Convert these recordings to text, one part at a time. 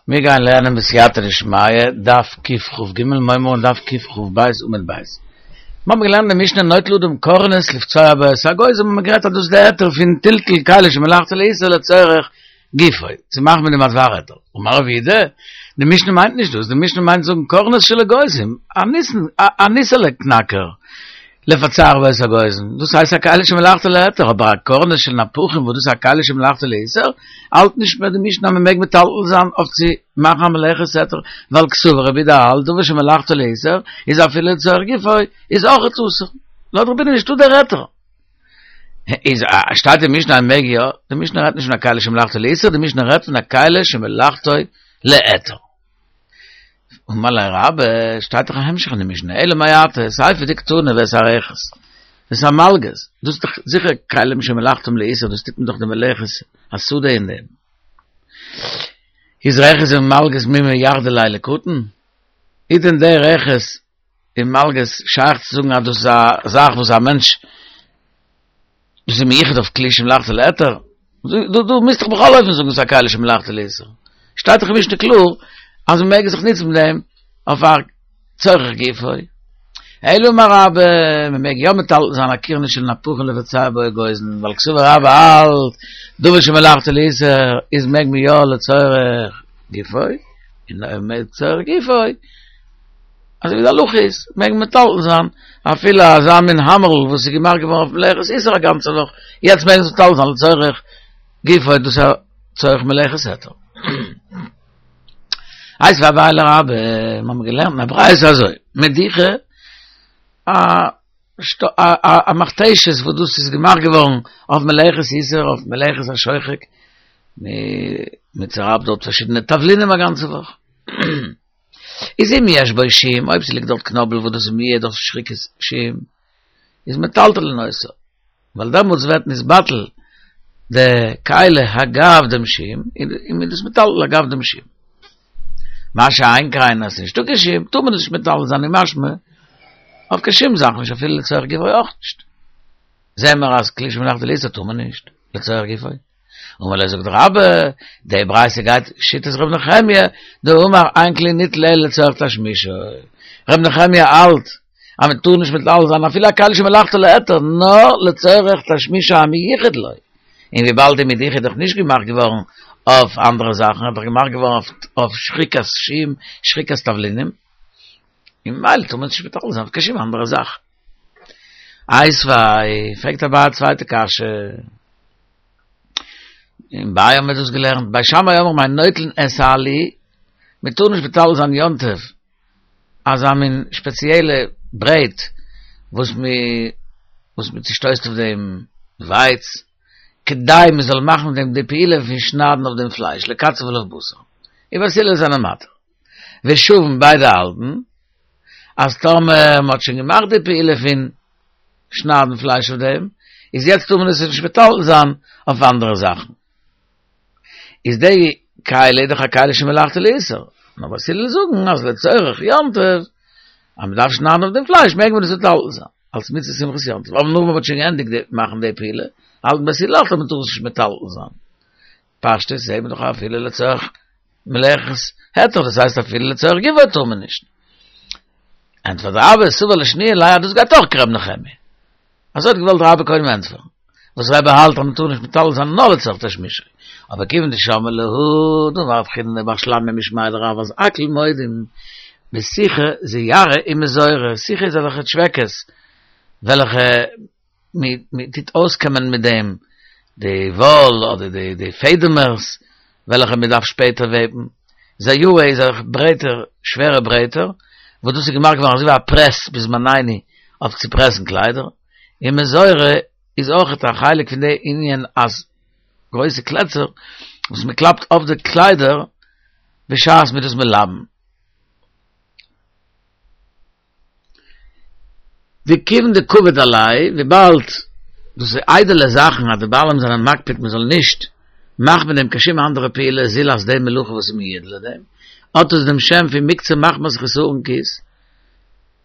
מיר גייען לערנען בסייעתא דשמיא, דף קכ"ג, מ'הייבן אן דף קכ"ב עמוד ב'. מיר האבן געלערנט די משנה נוטל אדם קורנס לפצוע בו את האגוזים האבן מיר גערעדט אז דאס איז די היתר פון טלטול כלי שמלאכתו לאיסור לצורך גופו, צו מאכן מיט דעם א דבר היתר. אמר רב יהודה, די משנה מיינט נישט דאס, די משנה מיינט זאגן קורנס של אגוזים, א ניסן, א ניסעלע קנאקער, לפצח בו את האגוזים, דאס הייסט א כלי שמלאכתו להיתר, אבער א קורנס של נפחים וואס דאס איז א כלי שמלאכתו לאיסור, האלט נישט מער די משנה אז מען מעג מטלטל זיין אויף צו מאכן א מלאכת היתר, ווייל קסבר רבי יהודה האלט דבר שמלאכתו לאיסור איז אפילו לצורך גופו איז אויכעט אסור, לויט רבי יהודה נישטא דער היתר. איז שטייט אין משנה אז מען מעג יא, די משנה רעדט נישט פון א כלי שמלאכתו לאיסור, די משנה רעדט פון א כלי שמלאכתו להיתר. אמר ליה רבה, שטייט דאך א המשך אין די משנה, אלא מעתה, סיפא דקתני ואת הרכס, ואת המלגז, דאס איז דאך זיכער כלים שמלאכתם לאיסור, דאס טוט מען דאך די מלאכת השדה אין דעם. איז רכס און מלגז מי מייחדא ליה לקטן? איז דען דער רכס און מלגז שייך צו זאגן אז דאס איז א זאך וואס א מענטש דאס איז מיוחד אויף כלי שמלאכתו להיתר? דו דו מוזט דאך בכל אופן זאגן ס'איז א כלי שמלאכתו לאיסור. שטייט דאך אין משנה קלאר אז מ'מעג זיך נוצן מיט דעם אויף א צורך גופו. אלא אמר רבה, מ'מעג יא מטלטל זיין א קורנס של נפחים לבצע בו אגוזין, ווייל קסבר רבה האלט, דבר שמלאכתו לאיסור איז מעג מען יא לצורך גופו, און לצורך גופו. אזוי ווי די הלכה איז, מעג מען מטלטל זיין אפילו אזא מין האמערל וואס איז געמאכט געווארן אויף מלאכת איסור א גאנצע וואך, יעצט מעג מען עס מטלטל זיין לצורך גופו, דאס איז א צורך מלאכת היתר. איתיביה אביי לרבה, מיר האבן געלערנט אין א ברייתא אזוי, מדוכה, א מכתשת וואס דאס איז געמאכט געווארן אויף מלאכת איסור, אויף מלאכת השוחק, מען צערייבט דארט פארשידענע תבלינים א גאנצע וואך. איז אם יש בו שום, אויב ס'ליגט דארט קנאבל וואס דאס איז מיועד אויף שחיקת שום, איז מטלטלין אותה, ווייל דעמאלטס ווערט נתבטל די כלי אגב דעם שום, און מ'איז דאס מטלטל אגב דעם שום. מה שאין כן אז ס'נישטא קיין שום, טאר מען דאס נישט מטלטל זיין און משמע אויף קיין שום זאך נישט אפילו לצורך גופו אויך נישט. זעען מיר אז כלי שמלאכתו לאיסור טאר מען נישט לצורך גופו. אמר ליה זאגט רבה, די ברייתא גייט שיטת ר' נחמיה, דאמר אין כלי ניטל אלא לצורך תשמישו. ר' נחמיה האלט אז מען טאר נישט מטלטל זיין אפילו א כלי שמלאכתו להיתר, נאר לצורך תשמישו המיוחד לו. און וויבאלד די מדוכה איז דאך נישט געמאכט געווארן אויף אנדערע זאכן, איז דאך געמאכט געווארן אויף שחיקת שום, שחיקת תבלינים, און ממילא טאר מען נישט מטלטל זיין אויף קיין שום אנדערע זאך. איתיביה, פרעגט אביי א צווייטע קשיא. אין ביי האבן מיר דאס געלערנט, בית שמאי אומרים אין נוטלין את העלי, מען טאר נישט מטלטל זיין יום טוב אזא מין שפעציעלע ברעט וואס מען וואס מען צושטויסט אויף דעם ווייץ, כדי מען זאל מאכן מיט דעם די פעולה פון שניידן אויף דעם פלייש, לקצב עליו בשר, און בית הלל זענען מתיר. ושוין ביידע האלטן אז טאמער מען האט שוין געמאכט די פעולה פון שניידן פלייש אויף דעם, איז יעצט טאר מען עס נישט מטלטל זיין אויף אנדערע זאכן. איז די כלי דאך א כלי שמלאכתו לאיסור. נאר בית הלל זאגן אז לצורך יום טוב, אז מען דארף שניידן אויף דעם פלייש מעג מען עס מטלטל זיין, אלס מצות שמחת יום טוב. אבער נאך מען האט שוין געענדיגט מאכן די פעולה, האלטן בית הלל אויך אז מען טאר עס נישט מטלטל זיין. פשטות זעהט מען דאך אפילו לצורך מלאכת היתר, דאס הייסט אפילו לצורך גופו טאר מען נישט. ענטפערט רבה, סבר לשנויי ליה אז דאס גייט אויך כר' נחמיה. אזוי האט געוואלט רבה קודם ענטפערן. וואס רבי האלט אז מען טאר נישט מטלטל זיין נאר לצורך תשמישו. אבער כיוון דשמעה להא, דאמר רב חיננא בר שלמיא משמיה דרב אז הכל מודים בסיכא זיארא ומזורא, סיכא איז אזעלכע טשוועקעס וועלכע מען טוט אויסקעמען מיט דעם די וואל אדער די די פעדעמערס וועלכע מען דארף שפעטער וועבן, זיארא איז אזעלכע ברעטער, שווערע ברעטער, וואס דאס איז געמאכט געווארן אזוי ווי א פרעס בזמנינו אויף צו פרעסן קליידער, און מזורא איז אויכעט א חלק פון די ענין אז גרויסע קלעצער וואס מען קלאפט אויף די קליידער בשעת מען איז דאס מלבן. וכיוון דקביד עלייהו, וויבאלד דאס איז איידעלע זאכן אז די בעלים זענען מקפיד מען זאל נישט מאכן מיט דעם קיין שום אנדערע פעולה זולת די מלאכה וואס איז מיועד לדעם, האט עס דעם שם פון מוקצה מחמת חסרון כיס,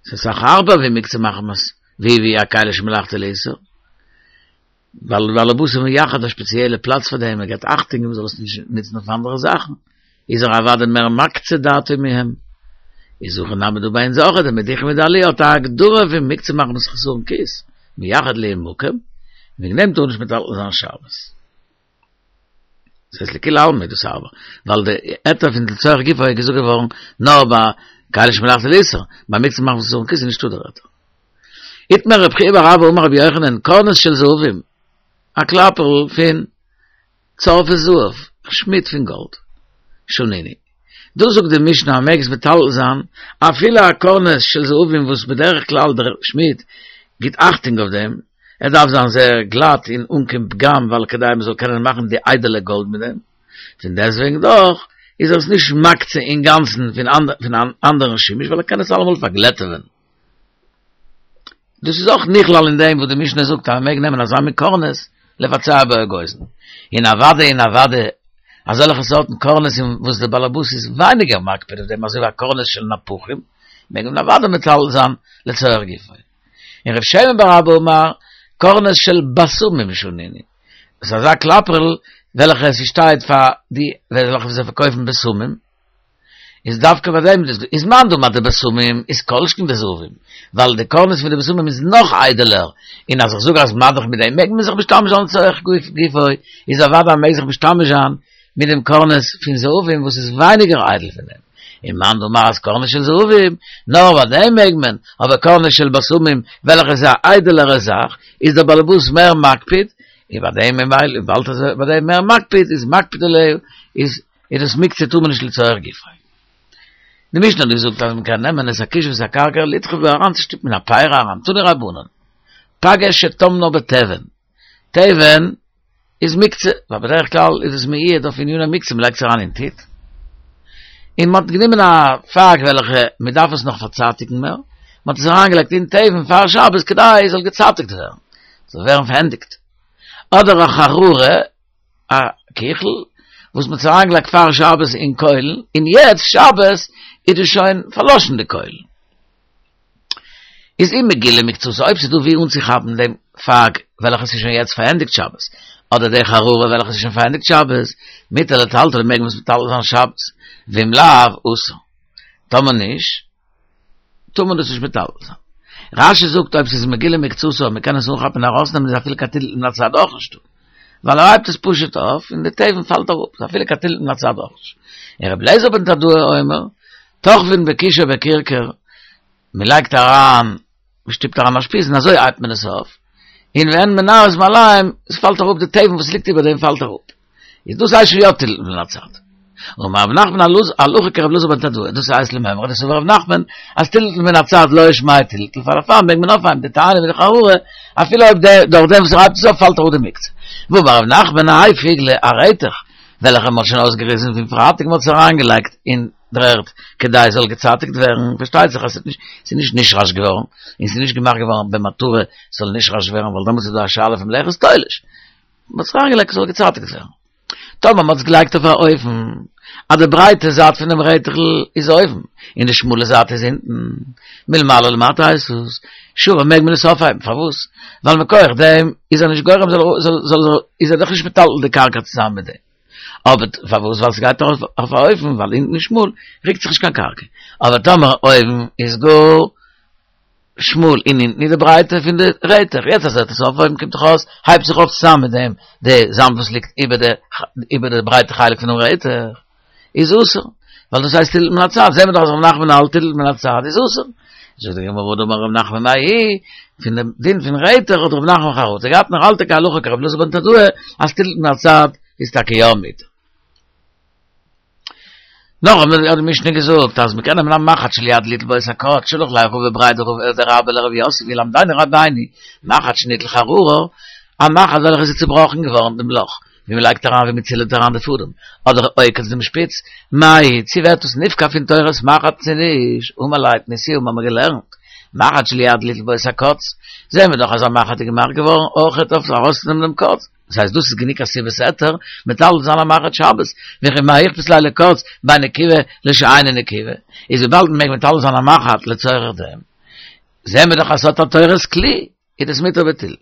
ס'איז אסאך הארבער ווי מוקצה מחמת ווי ווי א כלי שמלאכתו לאיסור. ווייל די בעל הבית איז מייחד א שפעציעלע פלאץ פאר דעם, ער געבט אכטונג מען זאל עס נישט נוצן אויף אנדערע זאכן. איז ער אוודאי מער מקצה דעתו מהם. איז הכא נמי דא ביי אונז אויך, די מדיחה מיט די עליה האט א הגדרה פון מוקצה מחמת חסרון כיס, מיחד להו מקום, וועגן דעם טאר נישט מטלטל זיין שבת. דאס הייסט לכולי עלמא איז דאס הארבער, ווייל די היתר פון לצורך גופו איז געזאגט געווארן נאר ביי כלי שמלאכתו לאיסור, ביי מוקצה מחמת חסרון כיס איז נישטא דער היתר. איתמר רב חייא בר אבא אמר רבי יוחנן, קורנס של זהובים, א קלאפערל פון צורפי זהב, א שמיד פון גאלד, שנינו. דא זאגט די משנה אז מ'מעג עס מטלטל זיין אפילו א קורנס של זהובים וואס בדרך כלל דער שמיד גיט אכטונג אויף דעם, ער דארף זיין זייער גלאט און אן קיין פגם ווייל כדי מען זאל קענען מאכן די איידעלע גאלד מיט דעם, פון דעסטוועגן דאך איז ער עס נישט מקצה אינגאנצן פון אן אנדערן שימוש ווייל ער קען עס אלעמאל פארגלעטעווען. דאס איז אויך נכלל אין דעם וואס די משנה זאגט אז מען מעג נעמען אזא מין קורנס לבצע בו אגוזין. און אוודאי און אוודאי אזעלכע סארטן קורנסים וואס דער באלעבאס איז ווייניגער מקפיד אויף דעם אזוי ווי א קורנס של נפחים מעג מען אוודאי מטלטל זיין לצורך גופו. און רב שמן בר אבא אמר קורנס של בשמים שנינו. דאס איז אזא קלאפערל וועלכע עס שטייט פאר די וועלכע זיי פארקויפן בשמים. איז דווקא ביי דעם איז מאן דאמר דבשמים איז כל שכן דזהובים, ווייל די קורנס פון די בשמים איז נאך איידעלער, און אז איך זאג אז מה דאך מיט דעם מעג מען זיך משתמש זיין לצורך גופו, איז אוודאי מעג זיך משתמש זיין מיט דעם קורנס פון זהובים וואס איז ווייניגער איידל פון דעם, און מאן דאמר אז קורנס של זהובים, נאר ביי דעם מעג מען, אבער קורנס של בשמים וועלכע איז א איידעלערע זאך, איז דער באלעבאס מער מקפיד, און ביי דעם ממילא וויבאלד ער איז ביי דעם מער מקפיד איז מקפיד עליה איז איז דאס מוקצה טאר מען נישט לצורך גופו. די משנה האט געזאגט אז מען קען נעמען את הכיש ואת הכרכר לדחוף בו אריינצושטופן אין א פרי אריין, תנו רבנן, פגה שטמנה בתבן, תבן איז מוקצה, ווייל בדרך כלל איז עס מיועד אויף עניני מוקצה, מען לייגט עס אריין אין טיט, און מען האט גענומען א פג וועלכע מען דארף עס נאך פארצייטיגן מער, מען האט עס אריינגעלייגט אין תבן פאר שבת כדי עס זאל געצייטיגט ווערן, זאל ווערן פארענדיגט, אדער א חררה, א קיכל וואס מ'האט עס אריינגעלייגט פאר שבת אין קוילן, און יעצט שבת איז דאס שוין פארלאשן די קוילן. איז אם מגולה מקצתה, אויב ס'איז דא ווי אנצוכאפן דעם פג וועלכע ס'איז שוין יעצט פארענדיגט שבת, אדער די חררה וועלכע ס'איז שוין פארענדיגט שבת, מותר לטלטלו מעג מען עס מטלטל זיין שבת, ואם לאו, אסור. טאמער נישט, טאר מען דאס נישט מטלטל זיין. רש"י זאגט אויב ס'איז מגולה מקצתה און מ'קען עס אנכאפן און ארויסנעמען איז אפילו קיין טלטול מן הצד אויך נישטא. ווייל ער הייבט עס פשוט אויף און די תבן פאלט אראפ, איז אפילו קיין טלטול מן הצד אויך נישט. און רבי אליעזר בן תדאי אומר, תוחבין בכיש או בכרכר, מ'לייגט אריין, מ'שטופט אריין א שפיז און אזוי הייבט מען עס אויף, און ואין מנער את מעליהם, עס פאלט אראפ די תבן וואס ליגט איבער דעם פאלט אראפ. איז דאס הייסט שוין יא טלטול מן הצד. אמר רב נחמן הלכה כרבי אלעזר בן תדאי, דאס הייסט למימרא דסבר רב נחמן אז טלטול מן הצד לא שמיה טלטול פאר דערפאר מעג מען אויפהייבן די תאנה מיט די חררה אפילו אויב דער דורך דעם וואס ער הייבט עס אויף פאלט אראפ די מוקצה. ואמר רב נחמן האי פיגלא א רעטעך וועלכע מ'האט שוין אויסגעריסן פון פרייטאג מ'האט עס אריינגעלייגט אין דר'ערד כדי עס זאל געצייטיגט ווערן, פארשטייט זיך אז ס'איז נישט נשרש געווארן און ס'איז נישט געמאכט געווארן במטרה ס'זאל נשרש ווערן ווייל דעמאלטס איז דא א שאלה פון מלאכת תולש. מ'האט עס אריינגעלייגט עס זאל געצייטיגט ווערן. טאמער מ'האט עס געלייגט אויף א אופן אז די ברייטע זייט פון דעם רעטעכל איז אויבן און די שמאלע זייט איז אונטן, מלמעלה למטה הייסט עס, שרי מעג מען עס אויפהייבן, פארוואס? ווייל מכח דעם איז ער נישט גורם זאל זאל איז ער דאך נישט מטלטל די קרקע צוזאמען מיט דעם. אבער פארוואס? ווייל ס'גייט ארויף אויף א אופן ווייל אונטן איז שמאל רוקט זיך נישט קיין קרקע. אבער טאמער אויבן איז גאר שמאל און אונטן איז די ברייטע פון די רעטעך, יעצט אז ער וועט עס אויפהויבן קומט דאך אויס הייבט זיך אויף צוזאמען מיט דעם די זאמד וואס ליגט איבער די איבער די ברייטע חלק פונעם רעטעך איז אסור, ווייל דאס הייסט טלטול מן הצד, זעהן מיר דאך אז ר' נחמן האלט טלטול מן הצד איז אסור, זאגט די גמרא והא דאמר ר' נחמן מההיא, פון דעם דין פון רעטעך האט ר' נחמן חרטה געהאט און ער האלט טאקע הלכה כר' אלעזר בן תדאי אז טלטול מן הצד איז טאקע יא מותר. נאך האט די משנה געזאגט אז מ'קען נעמען א מחט של יד ליטול בו את הקוץ, שלח ליה רבא בריה דרבה לרב יוסף ילמדנו רבינו, מחט שניטל חררה, א מחט וועלכע איז צובראכן געווארן דעם לאך ווי מ'לייגט אריין ווי מ'צילעט אריין די פאדעם, אדער עוקץ דעם שפיץ, מהו, צו ווערט עס נפקע פון תורת מחט צו נישט, אמר ליה תניתוה האבן מיר געלערנט, מחט של יד ליטול בו את הקוץ, זעהן מיר דאך אז א מחט איז געמאכט געווארן אויכעט אויף ארויסצונעמען דעם קוץ. דאס הייסט דאס איז גענוג א סיבת היתר מטלטל זיין א מחט שבת, וכי מה איכפת ליה לקוץ בין נקובה לשאינה נקובה, איז וויבאלד מען מעג מטלטל זיין א מחט לצורך דעם, זעהן מיר דאך אז ס'האט א תורת כלי, איז דאס מותר בטלטול.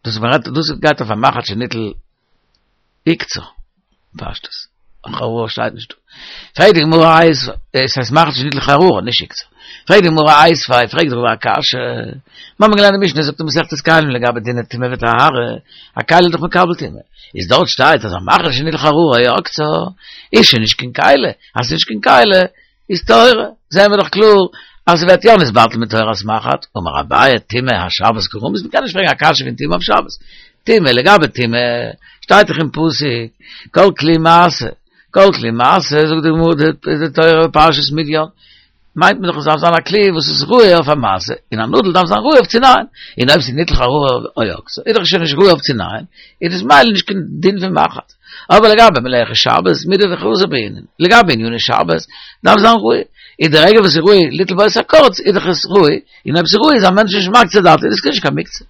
דאס מ'רעדט דאס גייט אויף א מחט שניטל עוקצה, פשטות. חררה שטייט נישט דא. פרעגט די גמרא איתיביה, עס הייסט מחט שניטלה חררה, נישט עוקצה. פרעגט די גמרא איתיביה, פרעגט רבא א קשיא. מיר האבן געלערנט די משנה זאגט אין מסכת כלים לגבי דיני טומאה וטהרה, א כלי איז דאך מקבל טומאה. איז דארט שטייט אז א מחט שניטלה חררה או עקצה, איז שוין נישט קיין כלי, אז ס'איז נישט קיין כלי, איז טהורה, זעהן מיר דאך קלאר אז ס'ווערט יא נתבטל מיט תורת מחט, אמר אביי טומאה אשבת קא רמית, מ'קען נישט פרעגן א קשיא פון טומאה אויף שבת, טומאה לגבי טומאה שטייט דאך אין פסוק כל כלי משא, כל כלי משא זאגט די גמרא די תורה בפרשת מדיין, מיינט מען דאך עס דארף זיין א כלי וואס איז ראוי אויף א משא, און א נאדל דארף זיין ראוי אויף צו נייען, און אויב ס'איז ניטל חררה או עקצה איז דאך שוין נישט ראוי אויף צו נייען, איז דאס ממילא נישט קיין דין פון מחט. אבער לגבי מלאכת שבת, מידי דחזי בעינן, לגבי עניני שבת, דארף זיין ראוי, איז די רגע וואס איז ראוי ליטול בו את הקוץ, איז דאך עס ראוי, און אויב ס'איז ראוי איז א מענטש נישט מקצה דעתו, איז עס נישט קיין מוקצה.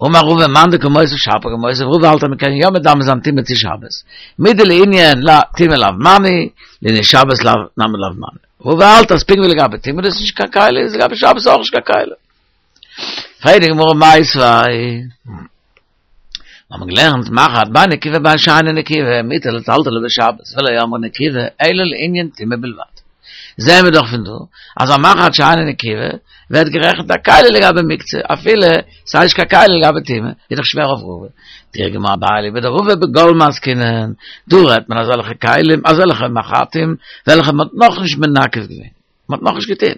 אמר רבא מאן דקא מותיב שפיר קא מותיב, רבא האלט אז מ'קען יא מדמה זיין טומאה צו שבת, מידי לענין טומאה לאו מני, לענין שבת לאו נמי לאו מני. רבא האלט אז פונקט ווי לגבי טומאה דאס איז נישט קיין כלי, איז לגבי שבת אויך נישט קיין כלי. פרעגט די גמרא מיתיבי. מיר האבן געלערנט מחט בין נקובה בין שאינה נקובה מותר לטלטלה בשבת ולא אמרו נקובה אלא לענין טומאה בלבד. זעהן מיר דאך פון דא אז א מחט שאינה נקובה ווערט גערעכנט א כלי לגבי מוקצה אפילו ס'איז נישט קיין כלי לגבי טומאה, איז דאך שווער אויף רבא. תרגמה אביי אליבא דרבא בגול מעסקינן, דא רעדט מען אזעלכע כלים, אזעלכע מחטים וועלכע מ'האט נאכנישט מנקב געווען, מ'האט נאכנישט געטון.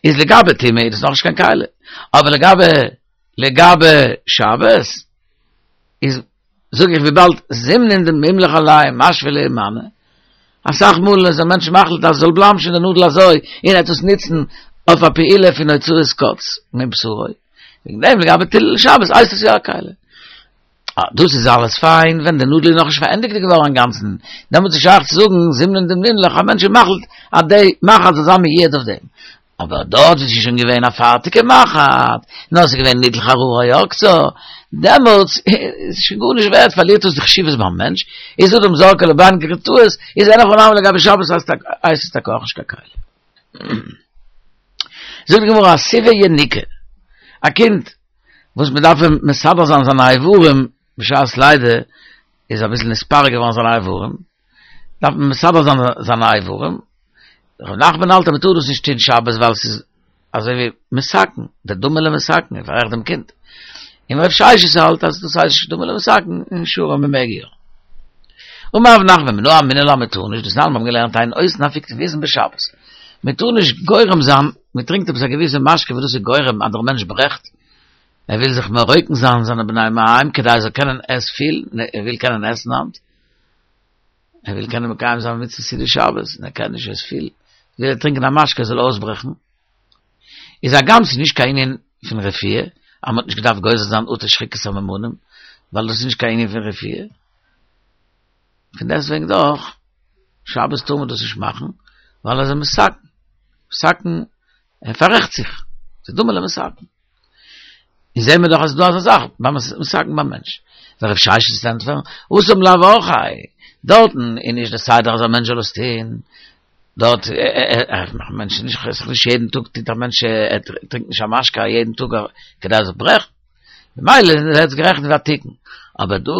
איז לגבי טומאה איז דאס נאכנישט קיין כלי, אבער לגבי לגבי שבת איז זאג איך וויבאלד זימנין דמימלך עליה משוי ליה מנא, אסאך מאל איז א מענטש מחליט אז עס זאל בלייבן שוין די נאדל אזוי און ער וועט עס נוצן אויף א פעולה פון הוצאת קוץ מבשרו, וועגן דעם לגבי טלטול שבת הייסט עס יא א כלי. אה, דאס איז אלעס פיין ווען די נאדל איז נאכנישט פארענדיגט געווארן אינגאנצן, דעמאלטס איז שייך צו זאגן זימנין דמימלך א מענטש איז מחליט אז די מחט זאל זיין מיועד אויף דעם, אבער דארט וואו ס'איז שוין געווען א פארטיגע מחט, נאר ס'איז געווען ניטל חררה או עקצה, דעמאלטס איז שוין גארנישט ווערט, פארלירט עס די חשיבות ביים מענטש, איז אדם זורקה לבין גרטאות, איז אין הכי נמי לגבי שבת הייסט עס טאקע אויך נישט קיין כלי. זאגט די גמרא אסיבא יניקה, א קינד וואס מען דארף אים מסדר זיין זיינע איברים בשעת לידה, איז אביסל נתפרק געווארן זיינע איברים, דארף מען מסדר זיין זיינע איברים, ר' נחמן האלט אז מען טאר דאס נישט טון שבת ווייל ס'איז אזוי ווי מתקן, דדמי למתקן, ער פאררעכט דעם קינד, און רב ששת האלט אז דאס הייסט נישט דומה למתקן און שרי מען מעג יא. אמר רב נחמן מנא אמינא לה מען טאר נישט, דתנן מיר האבן געלערנט אין עושין אפיקטויזין בשבת, מען טאר נישט גורם זיין, מען טרינקט עפעס א געוויסע משקה וואס דאס איז גורם אז דער מענטש ברעכט, ער וויל זיך מרוקן זיין זיינע בני מעיים כדי ער זאל קענען עס פיל, ער וויל קענען עסן היינט, ער וויל קענען מקיים זיין מצוות סעודת שבת, און ער קען נישט עס פיל, וויל ער טרינקען א משקה ער זאל אויסברעכן, איז הגם ס'איז נישט קיין ענין פון רפואה, אז מ'האט נישט געדארפט גוזר זיין אטו שחיקת סממנים, ווייל דאס איז נישט קיין ענין פון רפואה, פון דעסטוועגן דאך, שבת טאר מען דאס נישט מאכן, ווייל ער איז מתקן, מתקן, ער פאררעכט זיך, ס'איז דומה למתקן. און זעהן מיר דאך אז ס'איז דא אזא זאך, ביים מתקן ביים מענטש. ורב ששת וועט ענטפערן, התם לאו אורחיה, דארטן איז נישט די סדר אז א מענטש זאל עס טוהן, דארט א מענטש איז נישט, ס'איז נישט יעדן טאג טוט א מענטש, ער טרינקט נישט א משקה יעדן טאג כדי ער זאל ברעכן, ממילא ווערט עס גערעכנט ווי א תיקון. אבער דא,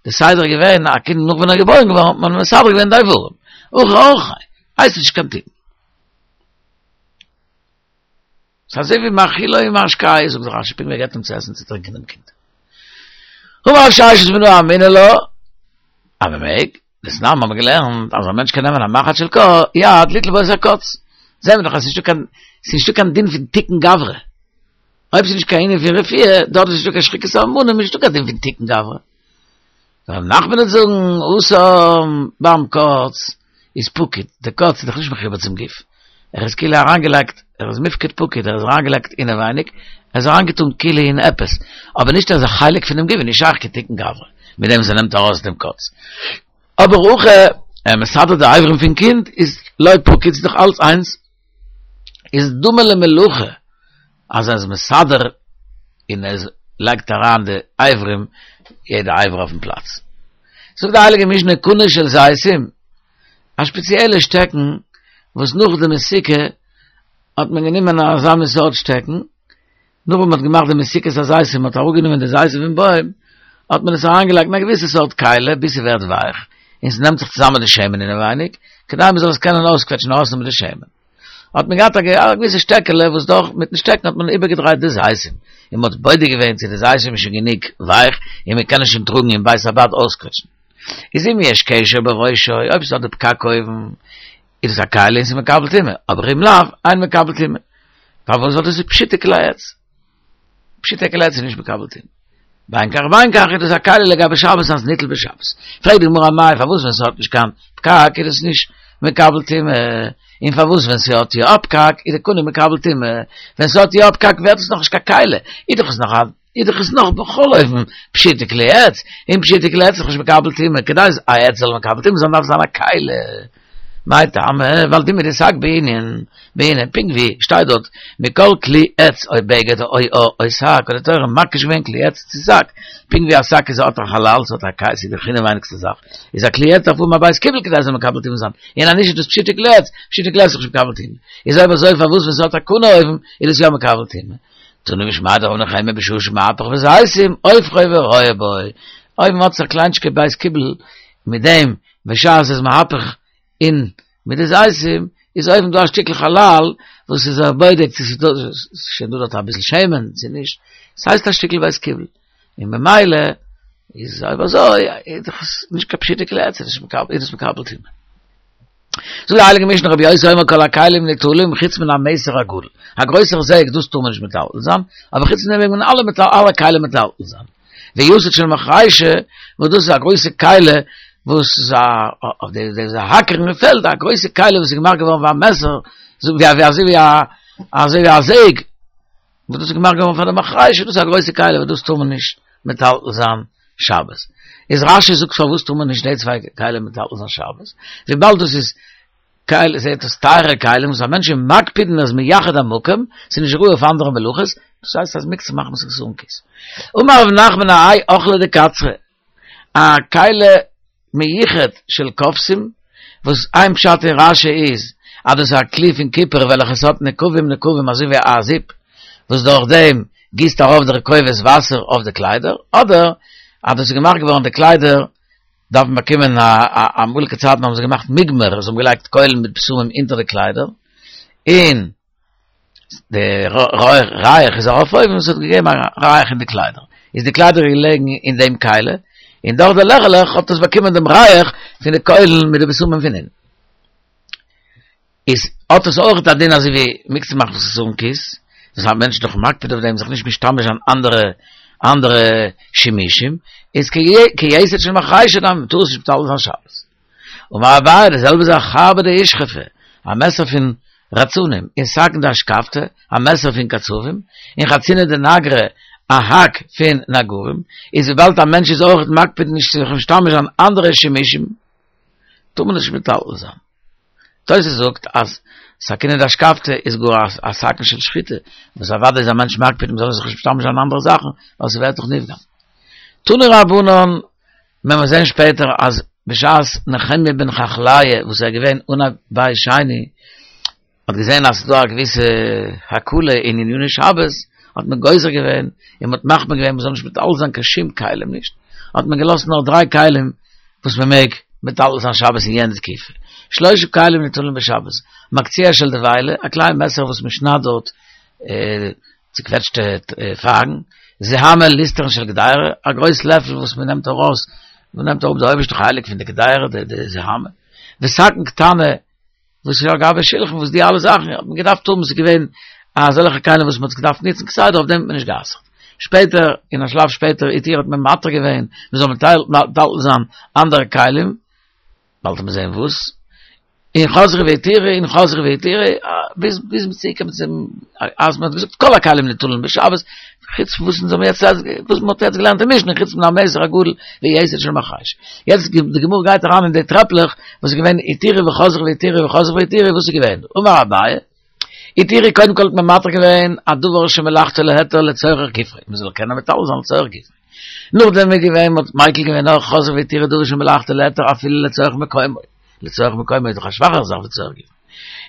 די סדר איז געווען, א קינד נאך ווען ער איז געבוירן געווארן האט מען מסדר געווען די איברים, הכא אורחיה, הייסט עס נישט קיין תיקון. ס'איז אזוי ווי מאכילו ומשקהו, זאגט רש"י פונקט ווי ער געבט אים צו עסן צו טרינקען דעם קינד. אמר רב ששת מנא אמינא לה, אז מ'מעג, דתנן האבן מיר געלערנט אז א מענטש קען נעמען א מחט של יד ליטול בו את הקוץ. זעהן מיר דאך אז ס'נישטא קיין, ס'נישטא קיין דין פון תיקון גברא. אויב ס'איז נישט קיין ענין פון רפואה, דארט איז נישטא קיין שחיקת סממנים, איז נישטא קיין דין פון תיקון גברא. רב נחמן וועט זאגן, התם ביים קוץ איז פקיד, די קוץ איז דאך נישט מחובר צום גוף, ער איז כאילו אריינגעלייגט, ער איז מיפקד פקיד, ער איז אריינגעלייגט אינעווייניג, ער איז אריינגעטאן כאילו אין עפעס, אבער נישט ער איז א חלק פונעם גוף, איז נישט שייך קיין תיקון גברא, מיט דעם וואס ער נעמט ארויס דעם קוץ. אבער הכא, ער מסדר די אברים פון קינד, איז לא פקיד, ס'איז דאך אלץ איינס. איז דומה למלאכה אז ער איז מסדר און ער לייגט אריין די אברים יעדע אבר אויפן פלאץ. זאגט די הייליגע משנה קנה של זיתים, א שפעציעלע שטעקן וואס נאך די מסיקה האט מען גענומען אזא מין סארט שטעקן, נאך ווען מען האט געמאכט די מסיקת הזיתים, מען האט אראפגענומען די זיתים פון בוים, האט מען עס אריינגעלייגט אין א געוויסע סארט כלי ביז ס'ווערט ווייך. און ס'נעמט זיך צוזאמען די שמן אינעווייניג, כדי מ'זאל עס קענען אויסקוועטשן ארויסנעמען די שמן. האט מען געהאט א געוויסע שטעקעלע וואס דורך מיטן שטעקן האט מען איבערגעדרייט די זיתים, און מ'האט בודק געווען צו די זיתים איז שוין גענוג ווייך און מ'קען עס שוין טראגן אין בית הבד אויסקוועטשן. איז אם יש קשר בראשו, אויב ס'האט די פקק אויבן, איז עס א כלי און ס'איז מקבל טומאה, אבער אם לאו, אין מקבל טומאה. פארוואס? ווייל דאס איז פשוטי כלי עץ. פשוטי כלי עץ איז נישט מקבל טומאה. בין כך ובין כך איז דאס א כלי לגבי שבת אז ניטל בשבת. פרעגט די גמרא אמאי פארוואס ווען ס'האט נישט קיין פקק איז עס נישט מקבל טומאה, און פארוואס ווען ס'האט יא א פקק איז די קנה מקבל טומאה, ווען ס'האט יא א פקק ווערט עס נאכנישט קיין כלי, איז דאך עס נאך א איז דאך עס נאך בכל אופן פשוטי כלי עץ, און פשוטי כלי עץ איז דאך נישט מקבל טומאה, כדי א עץ זאל מקבל טומאה זיין דארף זיין א כלי. מאי טעמא, ווייל דומיא דשק בעינן, בעינן, פונקט ווי שטייט דארט, מכל כלי עץ או בגד או עור או שק, האט די תורה מקיש געווען כלי עץ צו שק, פונקט ווי א שק איז האט א חלל, ס'האט א כלי, ס'איז די אינעווייניגסטע זאך, איז א כלי עץ דארף האבן א בית קיבול כדי ס'זאל מקבל טומאה זיין, און אז נישט איז דאס פשוטי כלי עץ, פשוטי כלי עץ איז נישט מקבל טומאה, איז אויב אזוי פארוואס ווען ס'האט א קנה אויבן איז עס יא מקבל טומאה? תנא משמיה דרב נחמיה בשעה שמהפך בזיתים, הופכו ורואה בו, אויב מ'האט זיך א קליינטשיקע בית קיבול מיט דעם בשעת ס'איז מהפך אין מיט די זיתים איז אויבן דא א שטיקל חלל וואס איז ער בודק צו ס'איז דא שוין דא דארט אביסל שמן צו נישט, ס'הייסט א שטיקל בית קיבול, און ממילא איז אויב אזוי איז דאך עס נישט קיין פשוטע כלי עץ, איז עס מקבל טומאה. זאגט די הייליגע משנה רבי יוסי אומר כל הכלים ניטלים חוץ מן המיתר הגדול, א גרויסער זעג דאס טאר מען נישט מטלטל זיין, אבער חוץ פון דעם מעג מען אלע כלים מטלטל זיין. ויתד של מחרישה, וואס דאס איז א גרויסע כלי, וואס איז א, אויף די, די זיי האקערן אין פעלד, א גרויסע כלי וואס איז געמאכט געווארן ווי א מעסער, ווי א, אזוי ווי א, אזוי ווי א זעג, וואס דאס איז געמאכט געווארן פאר די מחרישה, דאס איז א גרויסע כלי וואס דאס טאר מען נישט מטלטל זיין שבת. איז רש"י זאגט פארוואס טאר מען נישט די צוויי כלים מטלטל זיין שבת? וויבאלד דאס איז כלים, זעהט אויס טייערע כלים וואס א מענטש איז מקפיד און איז מייחד המקום, ס'איז נישט ראוי אויף אנדערע מלאכות, דאס הייסט אז מוקצה מחמת חסרון כיס. אמר רב נחמן האי אוכלא דקצרי, א כלי מיוחד של כובסים, וואס איין פשט אין רש"י איז אז דאס איז א כלי פון קופער וועלכע עס האט נקבים נקבים אזוי ווי א זיפ, וואס דורך דעם גיסט ארויף דער כובס וואסער אויף די קליידער, אדער אז דאס איז געמאכט געווארן די קליידער דארפן באקומען א אמאליגע צייטן האבן זיי געמאכט מוגמר, זיי האבן געלייגט קוילן מיט בשמים אונטער די קליידער, און די ריח איז ארויף אויבן, עס האט געגעבן א ריח אין די קליידער, איז די קליידער געלעגן אין דעם כלי, און דורך די לעכעלעך האט עס באקומען דעם ריח פון די קוילן מיט די בשמים פון אונטן. איז האט עס אויך א דין אזוי ווי מוקצה מחמת חסרון כיס, דאס א מענטש איז דאך מקפיד אויף דעם זיך נישט משתמש זיין אנדערע אנדערע שימושים, איז כיתד של מחרישה דמי, מ'טאר עס נישט מטלטל זיין שבת. אמר אביי, די זעלבע זאך חרבא דאושכפי, א מעסער פון רצנים, און סכין דאשכבתא, א מעסער פון קצבים, און חרצינא דנגרי, א האק פון נגרים, איז וויבאלד א מענטש איז אויך מקפיד נישט צו זיך משתמש זיין אנדערע שימושים, טאר מען נישט מטלטל זיין. תוס' זאגט אז סכינא דאשכבתא איז גאר א סכין של שחיטה, וואס אוודאי איז א מענטש מקפיד מ'זאל זיך נישט משתמש זיין אנדערע זאכן, ווייל ס'ווערט דאך נפגם. תנו רבנן, מען וועט זען שפעטער אז בשעת נחמיה בן חכליה וואס איז געווען אנהייב בית שני, האט געזען אז ס'איז דא א געוויסע הקלה אין עניני שבת, האט מען גוזר געווען און מ'האט מחמיר געווען מ'זאל נישט מטלטל זיין קיין שום כלים נישט, האט מען געלאזט נאר דריי כלים וואס מ'מעג מטלטל זיין שבת אין יענע תקופה, שלשה כלים ניטלין בשבת, מקצוע של דבילה, א קליין מעסער וואס מ'שניידט דארט צוקוועטשטע פייגן, זוהמא ליסטרין של קדירה, א גרויס לעפל וואס מ'נעמט ארויס, מ'נעמט אראפ די אויבערשטע חלק פון די קדירה, די זוהמא, וסכין קטנה, וואס איז על גבי שלחן וואס די אלע זאכן האט מען געדארפט האבן ס'איז געווען אזעלכע כלים וואס מען האט געדארפט ניצן כסדר אויף דעם האט מען נישט גע'אסר'ט שפעטער אין א שלב שפעטער התירו האט מען מתיר געווען מען זאל מטלטל זיין אנדערע כלים באלד וועט מען זען וואס און חזרו והתירו און חזרו והתירו ביז ביז מ'איז צוגעקומען צום אז מען האט געזאגט כל הכלים ניטלין בשבת חוץ פון וואס אונז האבן יעצט וואס מען האט יעצט געלערנט אין משנה חוץ מן המיתר הגדול ויתד של מחרישה. יעצט די גמרא גייט אריין אין די טרעפלעך וואס איז געווען התירו וחזרו והתירו וחזרו והתירו וואס איז געווען אמר אביי התירו קודם כל האט מען מתיר געווען א דבר שמלאכתו להיתר לצורך גופו מען זאל קענען מטלטל זיין לצורך גופו נאכדעם איז געווען מען האט מיקל געווען נאך חזרו והתירו דבר שמלאכתו להיתר אפילו לצורך מקומו לצורך מקומו איז דאך א שוואכערע זאך ווי לצורך גופו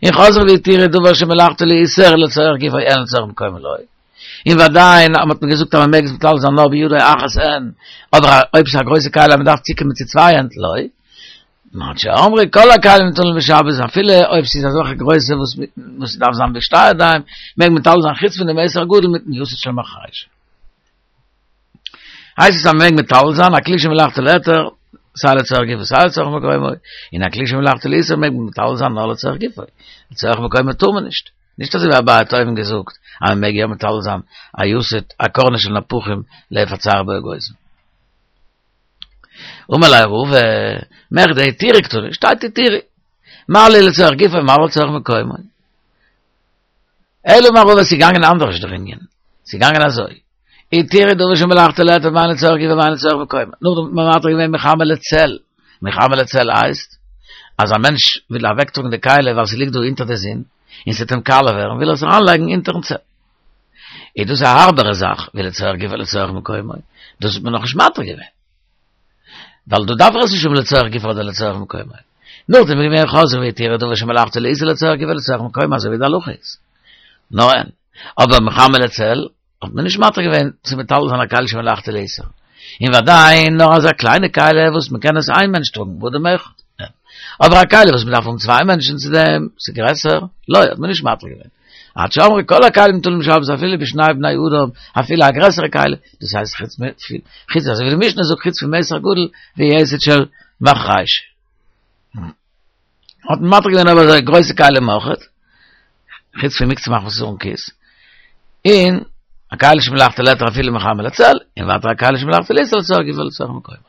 און חזרו והתירו דבר שמלאכתו לאיסור לצורך גופו אין לצורך מקומו לא און ועדיין האט מען געזאגט אז מען מעג עס מטלטל זיין נאר בידו אחת אין, אבער אויב ס'איז א גרויסע כלי אז מען דארף צוקומען צו צוויי הענט לא. עד שאמרו כל הכלים ניטלין בשבת אפילו אויב ס'איז אזעלכע גרויסע וואס וואס ס'דארף זיין בשתי ידיים מעג מען מטלטל זיין חוץ פון די מיתר הגדול מיטן יתד של מחרישה. הייסט עס אז מ'מעג מטלטל זיין א כלי שמלאכתו להיתר סיי לצורך גופו סיי לצורך מקומו, און א כלי שמלאכתו לאיסור מעג מען מטלטל זיין נאר לצורך גופו, לצורך מקומו טאר מען נישט. נישט אזוי ווי אביי האט אויבן געזאגט אז מ'מעג יא מטלטל זיין א יתד א קרנה של נפחים לאיפה הצער בו אגוזים. אמר ליה רבא, מכדי התירו קתני, שטייט התירו. מה לי לצורך גופו מה לי לצורך מקומו. אלא אמר רבא, ס'איז געגאנגען אנדערש דער ענין. ס'איז געגאנגען אזוי. התירו דבר שמלאכתו להיתר בין לצורך גופו בין לצורך מקומו. נאכדעם האט מען מתיר געווען מחמה לצל. מחמה לצל הייסט, אז א מענטש וויל אוועקטראגן די כלי ווייל ס'ליגט דא אונטער די זון, און ס'וועט אים קאלע ווערן, וויל ער עס אריינלייגן אונטערן צל. איז דאס א הארבערע זאך, ווי לצורך גופו לצורך מקומו, דאס האט מען נאכנישט מתיר געווען. ווייל דא דארף ער עס נישט האבן לצורך גופו אדער לצורך מקומו. נאכדעם איז געווען חזרו והתירו דבר שמלאכתו לאיסור לצורך גופו לצורך מקומו אזוי ווי די הלכה איז. נאר אין. אבער מחמה לצל האט מען נישט מתיר געווען צו מטלטל זיין א כלי שמלאכתו לאיסור. און וודאי נאר אזא קליינע כלי וואס מען קען עס איין מענטש טראגן, באדם אחד. אבער א כלי וואס מען דארף האבן צוויי מענטשן צו דעם, ס'איז גרעסער, לא, האט מען נישט מתיר געווען. עד שאמרו כל הכלים ניטלין בשבת אפילו בשני בני אדם, אפילו א גרעסערע כלי, דאס הייסט חוץ מ, חוץ אזוי ווי די משנה זאגט חוץ פון מיתר הגדול ויתד של מחרישה. האט מען מתיר געווען אבער אזוי גרויסע כלים אויכעט, חוץ פון מוקצה מחמת חסרון כיס, און א כלי שמלאכתו להיתר אפילו מחמה לצל, און ווייטער א כלי שמלאכתו לאיסור לצורך גופו לצורך מקומו.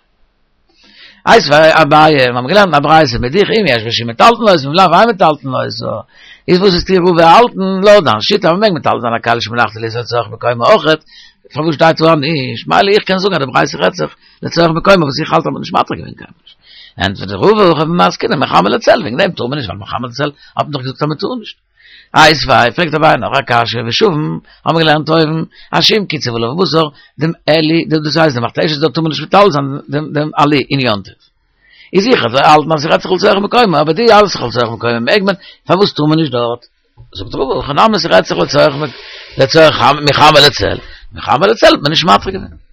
איתיביה אביי, מיר האבן געלערנט א ברייתא מדיח אם יש בו שיעור מטלטלין אותו ואם לאו אין מטלטלין אותו, איז וואס וועסטו רבא האלטן, לויט דיין שיטה אז מ'מעג מטלטל זיין א כלי שמלאכתו לאיסור לצורך מקומו אויכעט, פארוואס שטייט דא נישט? מילא איך קען זאגן אז די ברייתא רעדט זיך לצורך מקומו וואס איך האלט אז מ'האט נישט מתיר געווען קיינמאל נישט. ענטפערט רבא הכא במאי עסקינן מחמה לצל, וועגן דעם טאר מען נישט ווייל מחמה לצל האט מען דאך געזאגט אז מ'טאר נישט. איתיביה, פרעגט אביי נאך א קשיא, ושוין, האבן מיר געלערנט אויבן, אז שאם קצף עליו בשר, דעם עלי, דאס הייסט דעם מכתשת דארט טאר מען נישט מטלטל זיין דעם דעם עלי אין יום טוב. איז זיכער אז זיי האלטן אז ס'רעדט זיך לצורך מקומו, אבער דו האלטסט זיך לצורך מקומו מעג מען, פארוואס טאר מען נישט דארט? זאגט רבא, הכא נמי ס'רעדט זיך לצורך לצורך מחמה לצל, מחמה לצל האט מען נישט מתיר געווען.